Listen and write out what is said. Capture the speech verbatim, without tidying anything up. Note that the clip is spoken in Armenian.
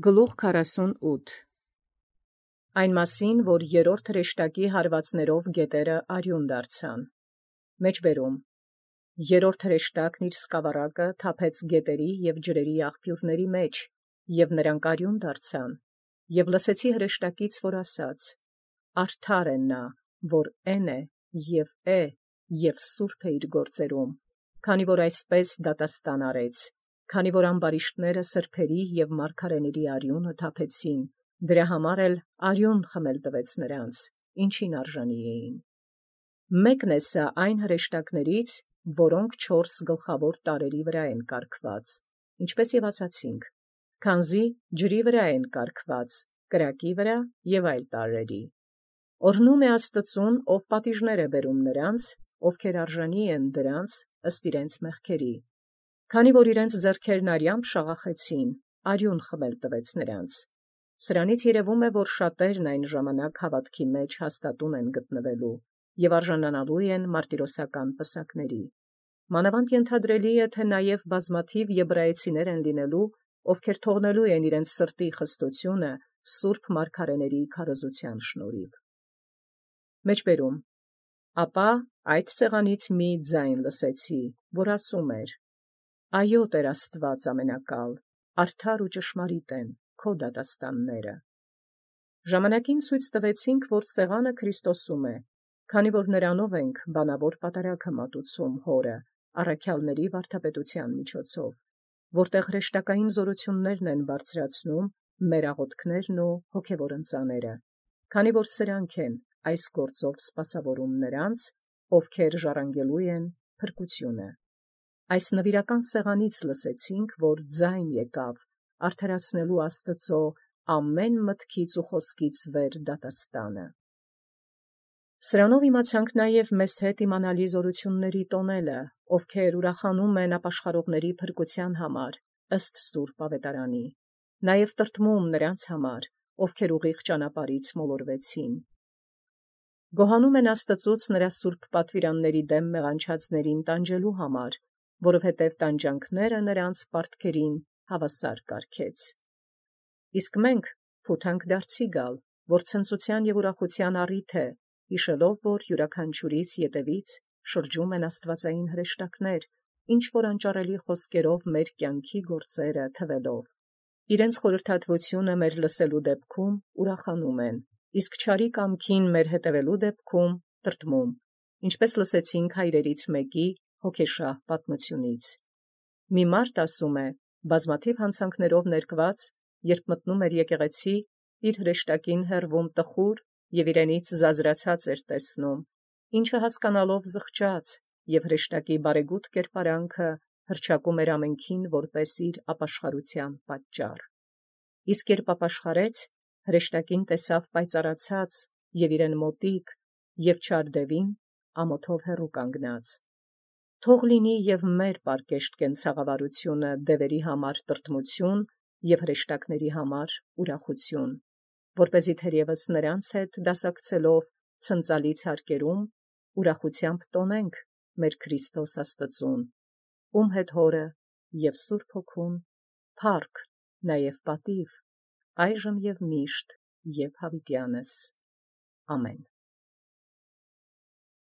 Գլուխ քառասունութ Այն մասին, որ երրորդ հրեշտակի հարվածներով գետերը արիուն դարձան։ Մեջբերում երրորդ հրեշտակն իր սկավառակը թափեց գետերի և ջրերի աղբյուրների մեջ, և նրանք արիուն դարձան, և լսեցի հրեշտակից, որ ասաց. «Արդար է նա, որ էն է, և է, և սուրբ է իր գործերում, քանի որ այսպես դատաստան արեց, քանի որ ամբարիշտները սրբերի և մարգարեների արիունը թափեցին, դրա համար էլ արիուն խմել տվեց նրանց, ինչին արժանի էին։ Մեկն է սա այն հրեշտակներից, որոնք չորս գլխավոր տարրերի վրա են կարգված, ինչպես և ասացինք, քանզի ջրի վրա են կարգված, կրակի վրա և այլ տարրերի։ Օրհնում է Աստծուն, ով պատիժներ է բերում նրանց, ովքեր արժանի են դրանց ըստ իրենց մեղքերի, քանի որ իրենց ձեռքերն արյամբ շաղախեցին, արիուն խմել տվեց նրանց։ Սրանից երևում է, որ շատերն այն ժամանակ հաւատքի մեջ հաստատուն են գտնվելու և արժանանալու են մարտիրոսական պսակների։ Մանավանդ ենթադրելի է, թե նաև բազմաթիվ եբրայեցիներ են լինելու, ովքեր թողնելու են իրենց սրտի խստությունը սուրբ մարգարեների քարոզության շնորհիվ։ Մեջբերում Ապա այդ սեղանից մի ձայն լսեցի, որ ասում էր. «Այո, Տեր Աստված ամենակալ, արդար ու ճշմարիտ են քո դատաստանները»։ Ժամանակին ցույց տվեցինք, որ սեղանը Քրիստոսում է, քանի որ նրանով ենք բանավոր պատարագը մատուցում Հորը, առաքյալների վարդապետության միջոցով, որտեղ հրեշտակային զորություններն են բարձրացնում մեր աղոթքներն ու հոգևոր ընծաները, քանի որ սրանք են այս գործով սպասավորում նրանց, ովքեր ժառանգելու են փրկությունը։ Այս նվիրական սեղանից լսեցինք, որ ձայն եկավ արդարացնելու Աստծո ամեն մտքից ու խոսքից վեր դատաստանը։ Սրանով իմացանք նաև մեզ հետ իմանալի զորությունների տոնելը, ովքեր ուրախանում են ապաշխարողների փրկության համար, ըստ սուրբ ավետարանի, նաև տրտմում նրանց համար, ովքեր ուղիղ ճանապարհից մոլորվեցին։ Գոհանում են Աստծուց նրա սուրբ պատվիրանների դեմ մեղանչածներին տանջելու համար, որովհետև տանջանքները նրանց պարտքերին հավասար կարգեց։ Իսկ մենք փութանք դարձի գալ, որ ցնծության և ուրախության առիթ է, հիշելով, որ յուրաքանչյուրիս ետևից շրջում են աստվածային հրեշտակներ, ինչ որ անճառելի խոսքերով մեր կյանքի գործերը թվելով։ Իրենց խորհրդատվությունը մեր լսելու դեպքում ուրախանում են, իսկ չարի կամքին մեր հետևելու դեպքում տրտմում, ինչպես լսեցինք հայրերից մեկի հոգեշահ պատմությունից։ Մի մարդ ասում է, բազմաթիվ հանցանքներով ներկված, երբ մտնում էր եկեղեցի, իր հրեշտակին հեռվում տխուր և իրենից զազրացած էր տեսնում, ինչը հասկանալով զղջաց, և հրեշտակի բարեգութ կերպարանքը հռչակում էր ամենքին որպես իր ապաշխարության պատճառ։ Իսկ երբ ապաշխարեց, հրեշտակին տեսավ պայծառացած և իրեն մոտիկ, և չար դևին ամոթով հեռու կանգնած։ Թող լինի և մեր պարկեշտ կենցաղավարությունը դևերի համար տրտմություն և հրեշտակների համար ուրախություն, որպեսզի թերևս նրանց հետ դասակցելով ցնծալից հարկերում ուրախությամբ տոնենք մեր Քրիստոս Աստծուն, ում հետ Հորը և Սուրբ Հոգուն փառք, նաև պատիվ, այժմ և միշտ և յաւիտյանս. ամեն։